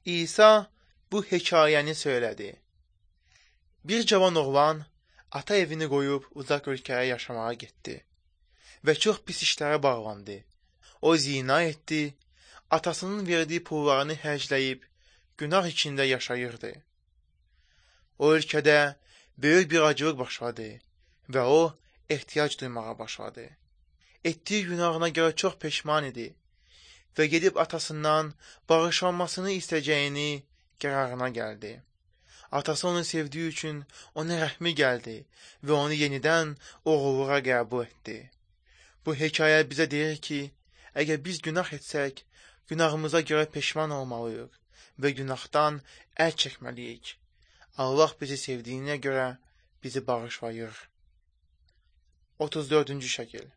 İsa bu hekayəni söylədi. Bir cavan oğlan ata evini qoyub uzaq ölkəyə yaşamağa getdi və çox pis işlərə bağlandı. O zina etdi, atasının verdiyi pullarını hərcləyib günah içində yaşayırdı. O ölkədə böyük bir acılıq başladı və o ehtiyac duymağa başladı. Etdiyi günahına görə çox peşman idi və gedib atasından bağışlanmasını istəyəcəyini qərarına gəldi. Atası onu sevdiyi üçün ona rəhmi gəldi və onu yenidən oğulluğa qəbul etdi. Bu hekayə bizə deyir ki, əgər biz günah etsək, günahımıza görə peşman olmalıyıq və günahdan əl çəkməliyik. Allah bizi sevdiyinə görə bizi bağışlayır. 34-cü şəkil.